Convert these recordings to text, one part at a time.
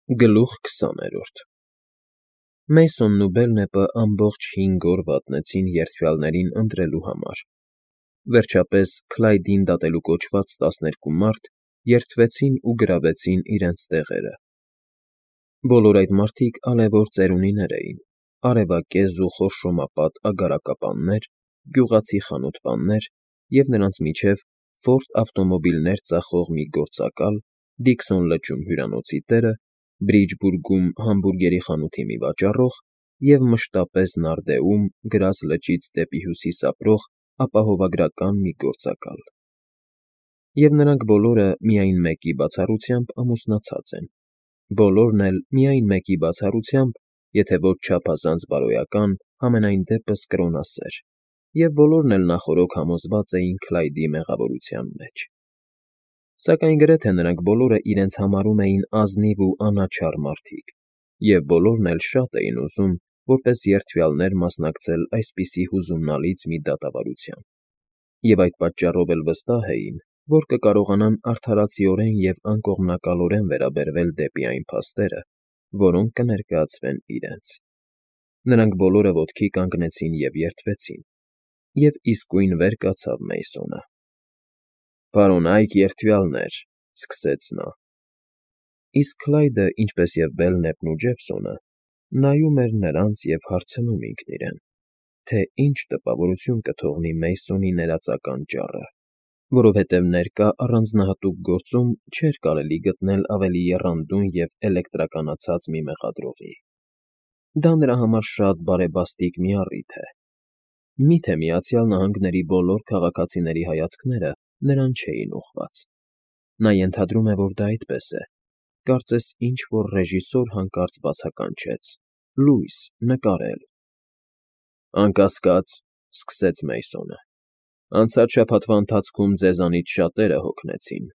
Գլուխ 20 Մեյսոնն ու Բելնեպը ամբողջ 5 օր վատնեցին երդվյալներին ընտրելու համար. վերջապես Քլայդին դատելու կոչված 12 մարդ երդվեցին ու գրավեցին իրենց տեղերը. բոլոր այդ մարդիկ ալևոր ծերունիներ էին, արևակեզ ու խորշոմապատ ագարակապաններ, գյուղացի խանութպաններ և նրանց միջև Ֆորդ ավտոմոբիլներ ծախող մի գործակալ, Դիքսոն լճում հյուրանոցի տերը, Բրիջբուրգում համբուրգերի խանութի մի վաճառող և մշտապես Նարդեում գրազ լճից դեպի հյուսիս ապրող ապահովագրական մի գործակալ։ Եվ նրանք բոլորը միայն մեկի բացառությամբ ամուսնացած են, բոլորն էլ միայն մեկի բացառությամբ, եթե ոչ չափազանց բարոյական, համենայն դեպս կրոնասեր, և բոլորն էլ նախօրոք համոզված էին Քլայդի մեղավորության մեջ։ Սակայն գրեթե նրանք բոլորը իրենց համարում էին ազնիվ ու անաչառ մարդիկ, և բոլորն էլ շատ էին ուզում, որպես երդվյալներ մասնակցել այսպիսի հուզումնալից մի դատավարության, և այդ պատճառով էլ վստահ էին, որ կկարողանան արդարացիորեն և անկողմնակալորեն վերաբերվել դեպի այն փաստերը, որոնք կներկայացվեն իրենց։ Նրանք բոլորը ոտքի կանգնեցին և երդվեցին, և իսկույն վեր կացավ Մեյսոնը։ «Պարոնայք երդվյալներ,֊ սկսեց նա…» Իսկ Քլայդը, ինչպես և Բելնեպն ու Ջեֆսոնը, նայում էր նրանց և հարցնում ինքն իրեն, թե ինչ տպավորություն կթողնի Մեյսոնի ներածական ճառը, որովհետև ներկա առանձնահատուկ գործում չէր կարելի գտնել ավելի եռանդուն և էլեկտրականացած մի մեղադրողի։ Դա նրա համար շատ բարեբաստիկ մի առիթ է։ Մի՞թե Միացյալ Նահանգների բոլոր քաղաքացիների հայացքները նրան չէին ուղղված։ Նա ենթադրում է, որ դա այդպես է, կարծես ինչ֊որ ռեժիսոր հանկարծ բացականչեց. «Լույս, նկարել»։ «Անկասկած,֊ սկսեց Մեյսոնը,֊ անցած շաբաթվա ընթացքում ձեզանից շատերը հոգնեցին,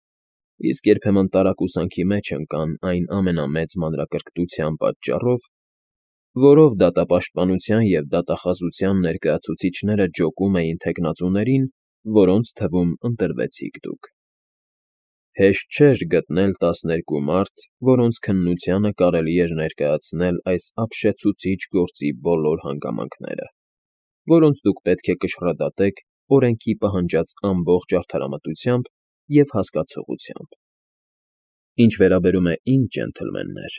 իսկ երբեմն տարակուսանքի մեջ ընկան այն ամենամեծ մանրակրկտության պատճառով, որով դատապաշտպանության և դատախազության ներկայացուցիչները ջոկում էին թեկնածուներին, որոնց թվում ընտրվեցիք դուք։ Հեշտ չէր գտնել 12 մարդ, որոնց քննությանը կարելի էր ներկայացնել այս ապշեցուցիչ գործի բոլոր հանգամանքները, որոնց դուք պետք է կշռադատեք օրենքի պահանջած ամբողջ արդարամտությամբ և հասկացողությամբ։ Ինչ վերաբերում է ինձ, ջենթլմեններ,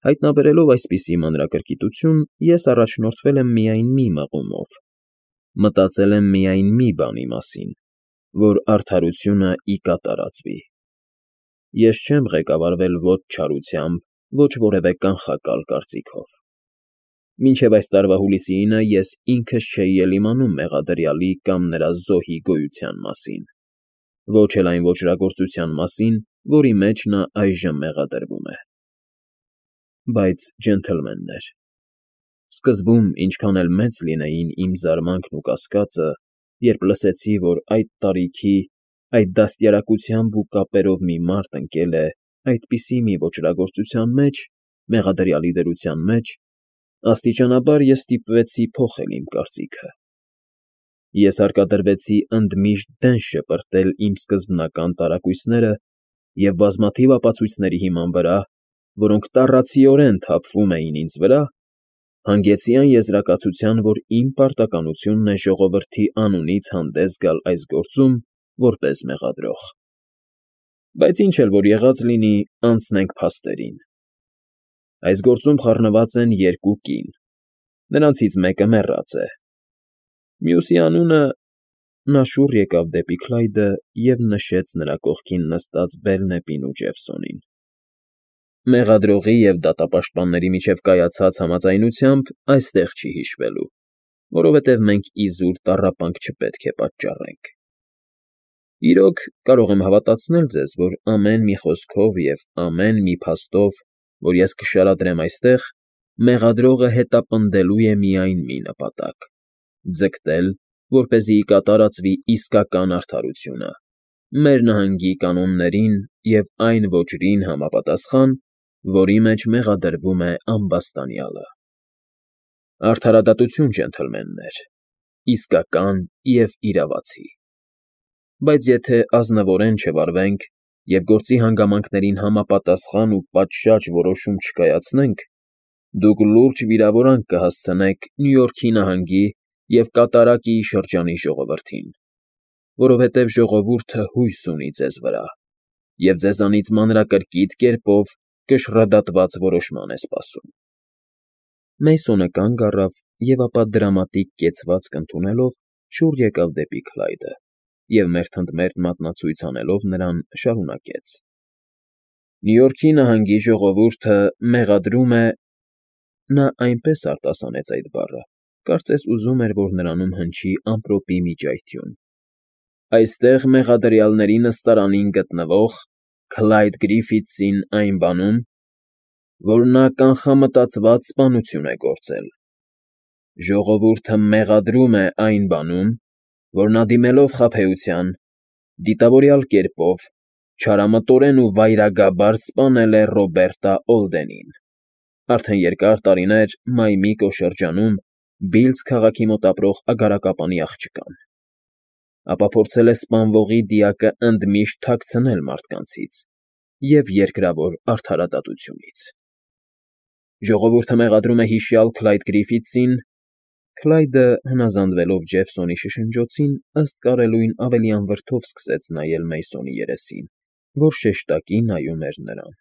հայտնաբերելով այսպիսի մանրակրկիտություն, ես առաջնորդվել եմ միայն մի մղումով. մտածել եմ միայն մի բանի մասին, որ արդարությունը ի կատարածվի։ Ես չեմ ղեկավարվել ոչ չարությամբ, ոչ որևէ կանխակալ կարծիքով։ Մինչև այս տարվա հուլիսի 9-ը ես ինքս չէի էլ իմանում մեղադրյալի կամ նրա զոհի գոյության մասին, ոչ էլ այն ոճրագործության մասին, որի մեջ նա այժմ մեղադրվում է։ Բայց, ջենթլմեններ, սկզբում ինչքան էլ մեծ լինեին իմ զարմանքն ու կասկածը, երբ լսեցի, որ այդ տարիքի, այդ դաստիարակությամբ ու կապերով մի մարդ ընկել է այդպիսի մի ոճրագործության մեջ, մեղադրյալի դրության մեջ, աստիճանաբար ես ստիպվեցի փոխել իմ կարծիքը։ Ես հարկադրվեցի ընդմիշտ դեն շպրտել իմ սկզբնական տարակույսները և բազմաթիվ ապացույցների հիման վրա, որոնք տառացիորեն թափվում էին ինձ վրա, հանգեցի այն եզրակացության, որ իմ պարտականությունն է ժողովրդի անունից հանդես գալ այս գործում որպես մեղադրող։ Բայց ինչ էլ որ եղած լինի, անցնենք փաստերին։ Այս գործում խառնված են 2 կին, նրանցից մեկը մեռած է, մյուսի անունը… Նա շուռ եկավ դեպի Քլայդը և նշեց նրա կողքին նստած Բելնեպին ու Ջեֆսոնին։ Մեղադրողի և դատապաշտպանների միջև կայացած համաձայնությամբ այստեղ չի հիշվելու, որովհետև մենք իզուր տառապանք չպետք է պատճառենք։ Իրոք, կարող եմ հավատացնել ձեզ, որ ամեն մի խոսքով և ամեն մի փաստով, որ ես կշարադրեմ այստեղ, մեղադրողը հետապնդելու է միայն մի նպատակ՝ ձգտել, որպեսզի ի կատարածվի իսկական արդարությունը, մեր նահանգի կանոններին և այն ոճրին համապատասխան, որի մեջ մեղադրվում է ամբաստանյալը։ Արդարադատություն, ջենթլմեններ, իսկական և իրավացի։ Բայց եթե ազնվորեն չվարվենք և գործի հանգամանքներին համապատասխան ու պատշաճ որոշում չկայացնենք, դուք լուրջ վիրավորանք կհասցնեք Նյու Յորքի նահանգի և Կատարակի շրջանի ժողովրդին, որովհետև ժողովուրդը հույս ունի ձեզ վրա և ձեզանից մանրակրկիտ կերպով կշռադատված որոշման է սպասում։ Մեյսոնը կանգ առավ և ապա դրամատիկ կեցվածք ընդունելով շուռ եկավ դեպի Քլայդը և մերթընդմերթ մատնացույց անելով նրան շարունակեց. Նյու Յորքի նահանգի ժողովուրդը մեղադրում է… Նա այնպես արտասանեց այդ բառը, կարծես ուզում էր, որ նրանում հնչի ամպրոպի մի ճայթյուն. Այստեղ մեղադրյալների նստարանին գտնվող Քլայդ Գրիֆիթսին այն բանում, որ նա կանխամտածված սպանություն է գործել։ Ժողովուրդը մեղադրում է այն բանում, որ նա դիմելով խաբեության, դիտավորյալ կերպով, չարամտորեն ու վայրագաբար սպանել է Ռոբերտա Օլդենին, արդեն երկար տարիներ Մայմիկո շրջանում Բիլզ քաղաքի մոտ ապրող ագարակապանի աղջկան, ապա փորձել է սպանվողի դիակը ընդմիշտ թաքցնել մարդկանցից և երկրավոր արդարադատությունից։ Ժողովուրդը մեղադրում է հիշյալ Քլայդ Գրիֆիթսին… Քլայդը, հնազանդվելով Ջեֆսոնի շշնջոցին, ըստ կարելույն ավելի անվրդով սկսեց նայել Մեյսոնի երեսին, որ շեշտակի նայում էր նրան…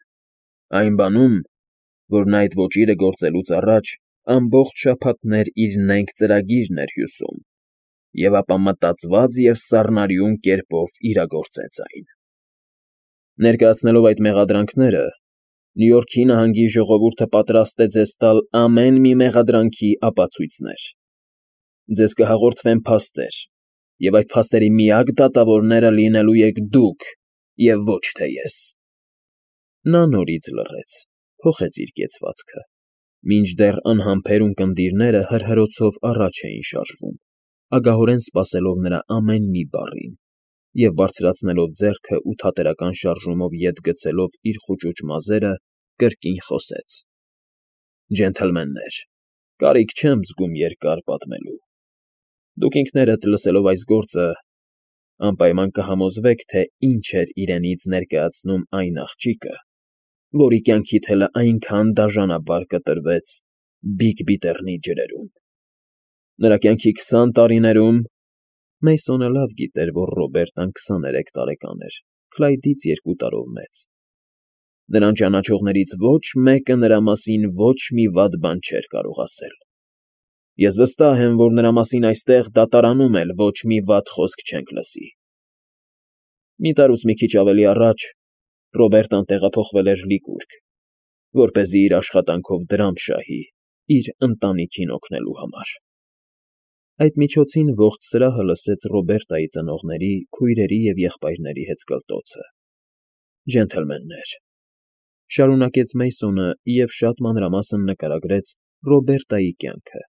Այն բանում, որ նա այդ ոճիրը գործելուց առաջ ամբողջ շաբաթներ իր նենգ ծրագիրն էր հյուսում և ապա մտածված և սառնարյուն կերպով իրագործեց այն։ Ներկայացնելով այդ մեղադրանքները, Նյու Յորքի նահանգի ժողովուրդը պատրաստ է ձեզ տալ ամեն մի մեղադրանքի ապացույցներ։ Ձեզ կհաղորդվեն փաստեր, և այդ փաստերի միակ դատավորները լինելու եք դուք, և ոչ թե ես… Նա նորից լռեց, փոխեց իր կեցվածքը, մինչդեռ անհամբեր ունկնդիրները հրհրոցով առաջ էին շարժվում, ագահորեն սպասելով նրա ամեն մի բառին, և բարձրացնելով ձեռքը ու թատերական շարժումով ետ գցելով իր խուճուճ մազերը, կրկին խոսեց. Ջենթլմեններ, կարիք չեմ զգում երկար պատմելու։ Դուք ինքներդ լսելով այս գործը, անպայման կհամոզվեք, թե ինչ էր իրենից ներկայացնում այն աղջիկը, որի կյանքի թելը այնքան դաժանաբար կտրվեց Բիգ ջրերում։ Նրա կյանքի 20 տարիներում… Մեյսոնը լավ գիտեր, որ Ռոբերտան 23 տարեկան էր, Քլայդից 2 տարով մեծ։ Նրան ճանաչողներից ոչ մեկը նրա մասին ոչ մի վատ բան չէր կարող ասել։ Ես վստահ եմ, որ նրա մասին այստեղ դատարանում էլ ոչ մի վատ խոսք չենք լսի։ Մի տարուց մի քիչ ավելի առաջ Ռոբերտան տեղափոխվել էր Լիկուրգ, որպեսզի իր աշխատանքով դրամ շահի իր ընտանիքին օգնելու համար։ Այդ միջոցին ողջ սրահը լսեց Ռոբերտայի ծնողների, քույրերի և եղբայրների հեծկլտոցը։ Ջենթլմեններ, շարունակեց Մեյսոնը և շատ մանրամասն նկարագրեց Ռոբերտայի կյանքը,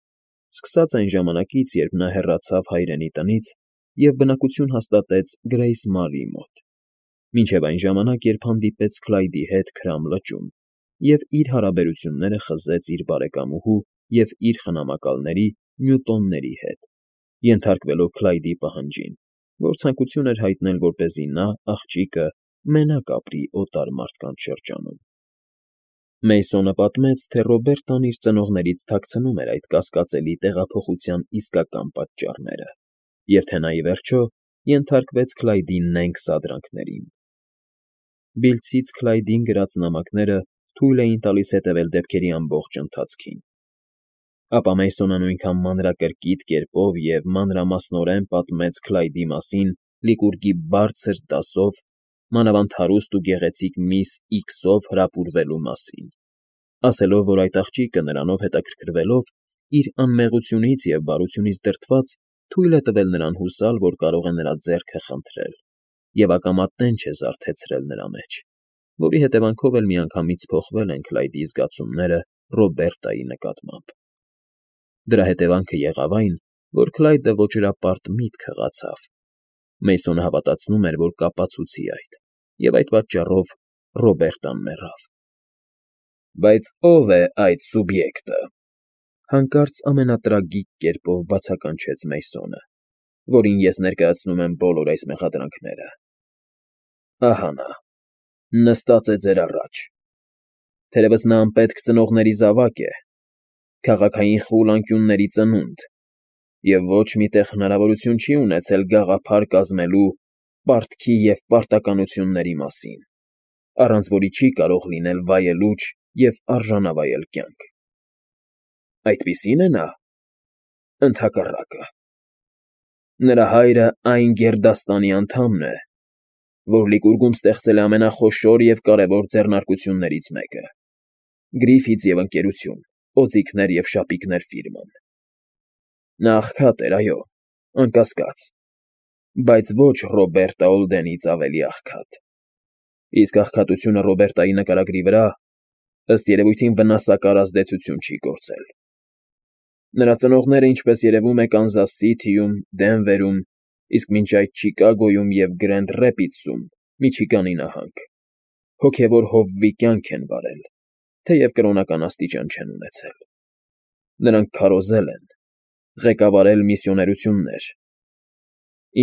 սկսած այն ժամանակից, երբ նա հեռացավ հայրենի տնից և բնակություն հաստատեց Գրեյս Մարիի մոտ, մինչև այն ժամանակ, երբ հանդիպեց Քլայդի հետ Քրամ լճում և իր հարաբերությունները խզեց իր բարեկամուհու և իր խնամակալների՝ Նյուտոնների հետ, ենթարկվելով Քլայդի պահանջին, որ ցանկություն էր հայտնել, որպեսզի նա, աղջիկը, մենակ ապրի օտար մարդկանց շրջանում։ Մեյսոնը պատմեց, թե Ռոբերտան իր ծնողներից թաքցնում էր այդ կասկածելի տեղափոխության իսկական պատճառները և թե նա, ի վերջո, ենթարկվեց Քլայդի նենգ սադրանքներին։ Բիլձից Քլայդին գրած նամակները թույլ էին տալիս հետևել դեպքերի ամբողջ ընթացքին։ Ապա Մեյսոնը նույնքան մանրակրկիտ կերպով և մանրամասնորեն պատմեց Քլայդի մասին Լիկուրգի բարձր դասով, մանավանդ հարուստ ու գեղեցիկ միս Իքսով հրապուրվելու մասին, ասելով, որ այդ աղջիկը նրանով հետաքրքրվելով, իր անմեղությունից և բարությունից դրդված, թույլ է տվել նրան հուսալ, որ կարող է նրա ձեռքը խնդրել և ակամա տենչ է զարթեցրել նրա մեջ, որի հետևանքով էլ միանգամից փոխվել են Քլայդի զգացումները Ռոբերտայի նկատմամբ։ Դրա հետևանքը եղավ այն, որ Քլայդը ոճրապարտ միտք հղացավ։ Մեյսոնը հավատացնում էր, որ կապացուցի այդ, և այդ պատճառով Ռոբերտան մեռավ։ Բայց ո՞վ է այդ սուբյեկտը, հանկարծ ամենատրագիկ կերպով բացականչեց Մեյսոնը, որին ես ներկայացնում եմ բոլոր այս մեղադրանքները։ Ահա նա, նստած է ձեր առաջ։ Թերևս նա անպետք ծնողների զավակ է, քաղաքային խուլ անկյունների ծնունդ, և ոչ մի տեղ հնարավորություն չի ունեցել գաղափար կազմելու պարտքի և պարտականությունների մասին, առանց որի չի կարող լինել վայելուչ և արժանավայել կյանք։ Այդպիսի՞ն է նա։ Ընդհակառակը։ Նրա հայրը այն գերդաստանի անդամն է, որ Լիկուրգում ստեղծել է ամենախոշոր և կարևոր ձեռնարկություններից մեկը՝ Գրիֆիթս և Ընկերություն, օձիքներ և շապիկներ ֆիրման։ Նա աղքատ էր, այո, անկասկած, բայց ոչ Ռոբերտա Օլդենից ավելի աղքատ։ Իսկ աղքատությունը Ռոբերտայի նկարագրի վրա, ըստ երևույթին, վնասակար ազդեցություն չի գործել։ Նրա ծնողները, ինչպես երևում է, Կանզաս Սիթիում, Դենվերում, իսկ մինչ այդ Չիկագոյում և Գրենդ Ռեփիդսում, Միչիգանի նահանգ, հոգևոր հովվի կյանք են վարել, թեև կրոնական աստիճան չեն ունեցել։ Նրանք քարոզել են, ղեկավարել միսիոներություններ։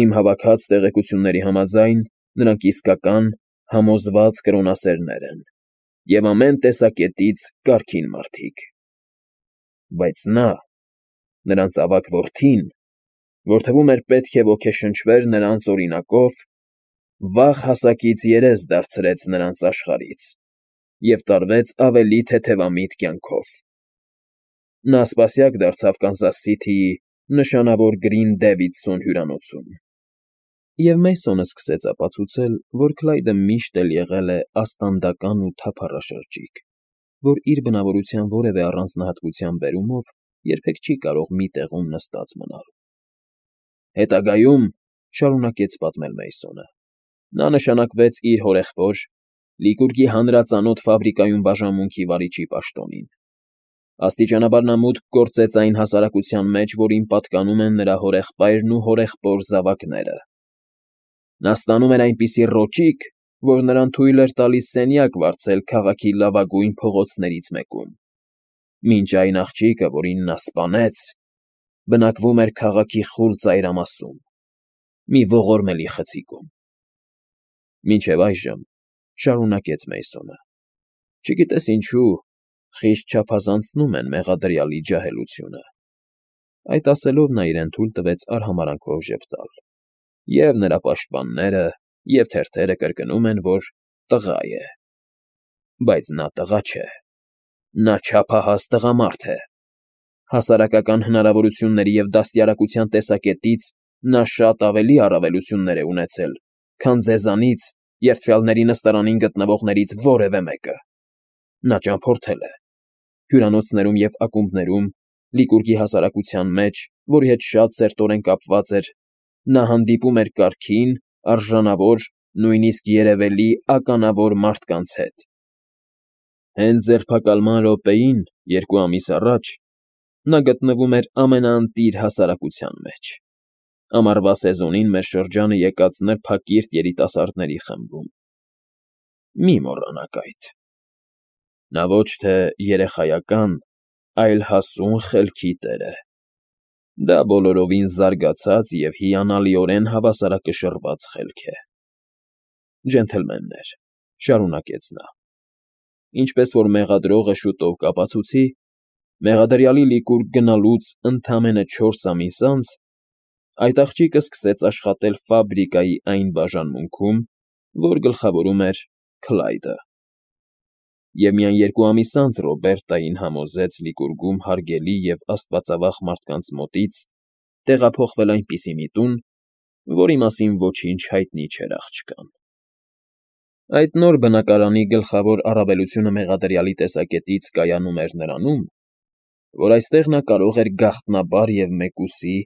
Իմ հավաքած տեղեկությունների համաձայն, նրանք իսկական, համոզված կրոնասերներ են և ամեն տեսակետից կարգին մարդիկ։ Բայց նա, նրանց ավագ որդին, որ թվում էր պետք է ոգեշնչվեր նրանց օրինակով, վաղ հասակից երես դարձրեց նրանց աշխարհից և տարվեց ավելի թեթևամիտ կյանքով։ Նա սպասյակ դարձավ Կանզաս Սիթիի նշանավոր Գրին Դեվիդսոն հյուրանոցում։ Եվ Մեյսոնը սկսեց ապացուցել, որ Քլայդը միշտ էլ եղել է աստանդական ու թափառաշրջիկ, որ իր բնավորության որևէ առանձնահատկության բերումով երբեք չի կարող մի տեղում նստած մնալ։ Հետագայում, շարունակեց պատմել Մեյսոնը, նա նշանակվեց իր հորեղբոր, Լիկուրգի հանրածանոթ ֆաբրիկայում բաժանմունքի վարիչի պաշտոնին։ Աստիճանաբար նա մուտք գործեց այն հասարակության մեջ, որին պատկանում են նրա հորեղբայրն ու հորեղբոր զավակները։ Նա ստանում էր այնպիսի ռոճիկ, որ նրան թույլ էր տալիս սենյակ վարձել քաղաքի լավագույն փողոցներից մեկում, մինչ այն աղջիկը, որին նա սպանեց, բնակվում էր քաղաքի խուլ ծայրամասում, մի ողորմելի խցիկում։ Մինչև այժմ, շարունակեց Մեյսոնը, չգիտես ինչու, խիստ չափազանցնում են մեղադրյալի ջահելությունը։ Այդ ասելով նա իրեն թույլ տվեց արհամարհանքով ժպտալ, և նրա պաշտպանները և թերթերը կրկնում են, որ տղա է։ Բայց նա տղա չէ, նա չափահաս տղամարդ է։ Հասարակական հնարավորությունների և դաստիարակության տեսակետից նա շատ ավելի առավելություններ է ունեցել, քան ձեզանից, երդվյալների նստարանին գտնվողներից որևէ մեկը։ Նա ճամփորդել է հյուրանոցներում և ակումբներում, Լիկուրգի հասարակության մեջ, որի հետ շատ սերտորեն կապված էր, նա հանդիպում էր կարգին, արժանավոր, նույնիսկ երևելի ականավոր մարդկանց հետ։ Հենց ձերբակալման րոպեին, 2 ամիս առաջ, նա գտնվում էր ամենաընտիր հասարակության մեջ, ամառվա սեզոնին մեր շրջանը եկած նրբակիրթ երիտասարդների խմբում։ Մի մոռանաք այդ։ Նա ոչ թե երեխայական, այլ հասուն խելքի տեր է։ Դա բոլորովին զարգացած և հիանալիորեն հավասարակշռված խելք է։ Ջենթլմեններ, շարունակեց նա, ինչպես որ մեղադրողը շուտով կապացուցի, մեղադրյալի Լիկուրգ գնալուց ընդամենը 4 ամիս անց այդ աղջիկը սկսեց աշխատել ֆաբրիկայի այն բաժանմունքում, որ գլխավորում էր Քլայդը։ Եվ միայն 2 ամիս անց Ռոբերտային համոզեց Լիկուրգում հարգելի և աստվածավախ մարդկանց մոտից տեղափոխվել այնպիսի մի տուն, որի մասին ոչինչ հայտնի չէր աղջկան։ Այդ նոր բնակարանի գլխավոր առավելությունը մեղադրյալի տեսակետից կայանում էր նրանում, որ այստեղ նա կարող էր գաղտնաբար և մեկուսի,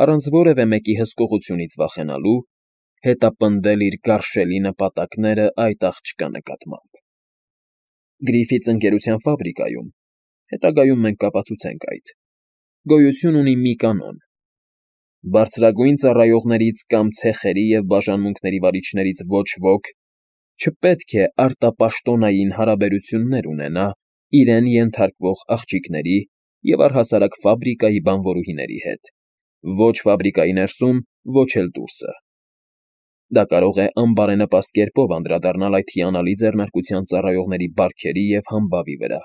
առանց որևէ մեկի հսկողությունից վախենալու, հետապնդել իր գարշելի նպատակները այդ աղջկա նկատմամբ։ Գրիֆիթս ընկերության ֆաբրիկայում, հետագայում մենք կապացուցենք այդ, գոյություն ունի մի կանոն. բարձրագույն ծառայողներից կամ ցեխերի և բաժանմունքների վարիչներից ոչ ոք չպետք է արտապաշտոնային հարաբերություններ ունենա իրեն ենթարկվող աղջիկների և առհասարակ ֆաբրիկայի բանվորուհիների հետ, ոչ ֆաբրիկայի ներսում, ոչ էլ դուրսը։ Դա կարող է անբարենպաստ կերպով անդրադառնալ այդ հիանալի ձեռնարկության ծառայողների բարքերի և համբավի վրա։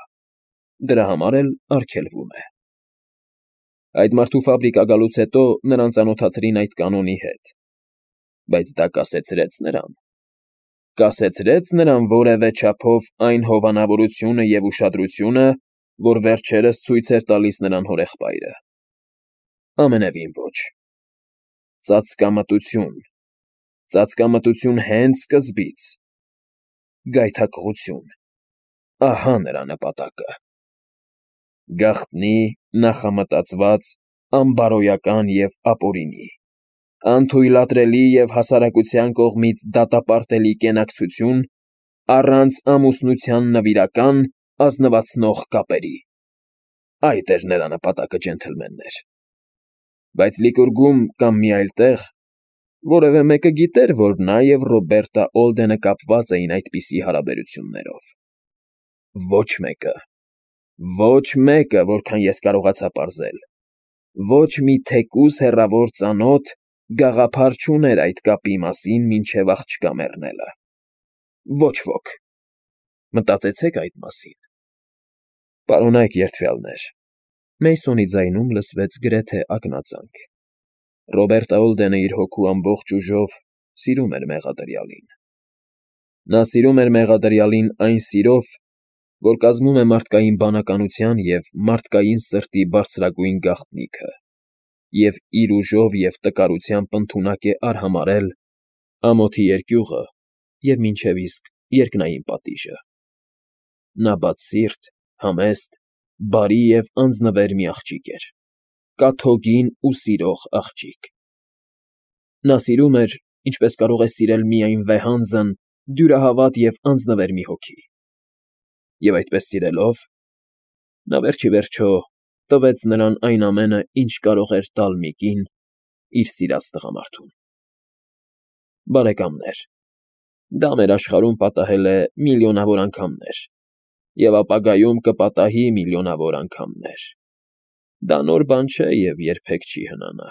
Դրա համար էլ արգելվում է։ Այդ մարդու ֆաբրիկա գալուց հետո նրան ծանոթացրին այդ կանոնի հետ, բայց դա կասեցրեց նրան որևէ չափով այն հովանավորությունը և ուշադրությունը, որ վերջերս ցույց էր տալիս նրան հորեղբայրը։ Ամենևին ոչ։ Ծածկամտություն հենց սկզբից։ Գայթակղություն։ Ահա նրա նպատակը։ Գաղտնի, նախամտածված, անբարոյական և ապօրինի, անթույլատրելի և հասարակության կողմից դատապարտելի կենակցություն առանց ամուսնության նվիրական, ազնվացնող կապերի։ Այդ էր նրա նպատակը, ջենթլմեններ։ Բայց Լիկուրգում կամ մի այլ տեղ որևէ մեկը գիտեր, որ նա և Ռոբերտա Օլդենը կապված էին այդպիսի հարաբերություններով։ Ոչ մեկը։ Ոչ մեկը, որքան ես կարողացա պարզել։ Ոչ մի թեկուզ հեռավոր ծանոթ գաղափար չուներ այդ կապի մասին մինչև աղջկա մեռնելը։ Ոչ ոք։ Մտածեցեք այդ մասին։ Պարոնայք երդվյալներ։ Մեյսոնի ձայնում լսվեց գրեթե ակնածանք։ Ռոբերտա Օլդենը իր հոգու ամբողջ ուժով սիրում էր մեղադրյալին։ Նա սիրում էր մեղադրյալին այն սիրով, որ կազմում է մարդկային բանականության և մարդկային սրտի բարձրագույն գաղտնիքը, և իր ուժով և տկարությամբ ընդունակ է արհամարհել ամոթի երկյուղը և մինչև իսկ երկնային պատիժը։ Նա բացսիրտ, համեստ, բարի և անձնվեր մի աղջիկ էր, կաթոկին ու սիրող աղջիկ։ Նա սիրում էր, ինչպես կարող է սիրել միայն վեհանձն, դյուրահավատ և անձնվեր մի հոգի։ Եվ այդպես սիրելով, նա վերջիվերջո տվեց նրան այն ամենը, ինչ կարող էր տալ մի կին իր սիրած տղամարդուն։ Բարեկամներ, դա մեր աշխարհում պատահել է միլիոնավոր անգամներ, և ապագայում կպատահի միլիոնավոր անգամներ։ Դա նոր բան չէ և երբեք չի հնանա։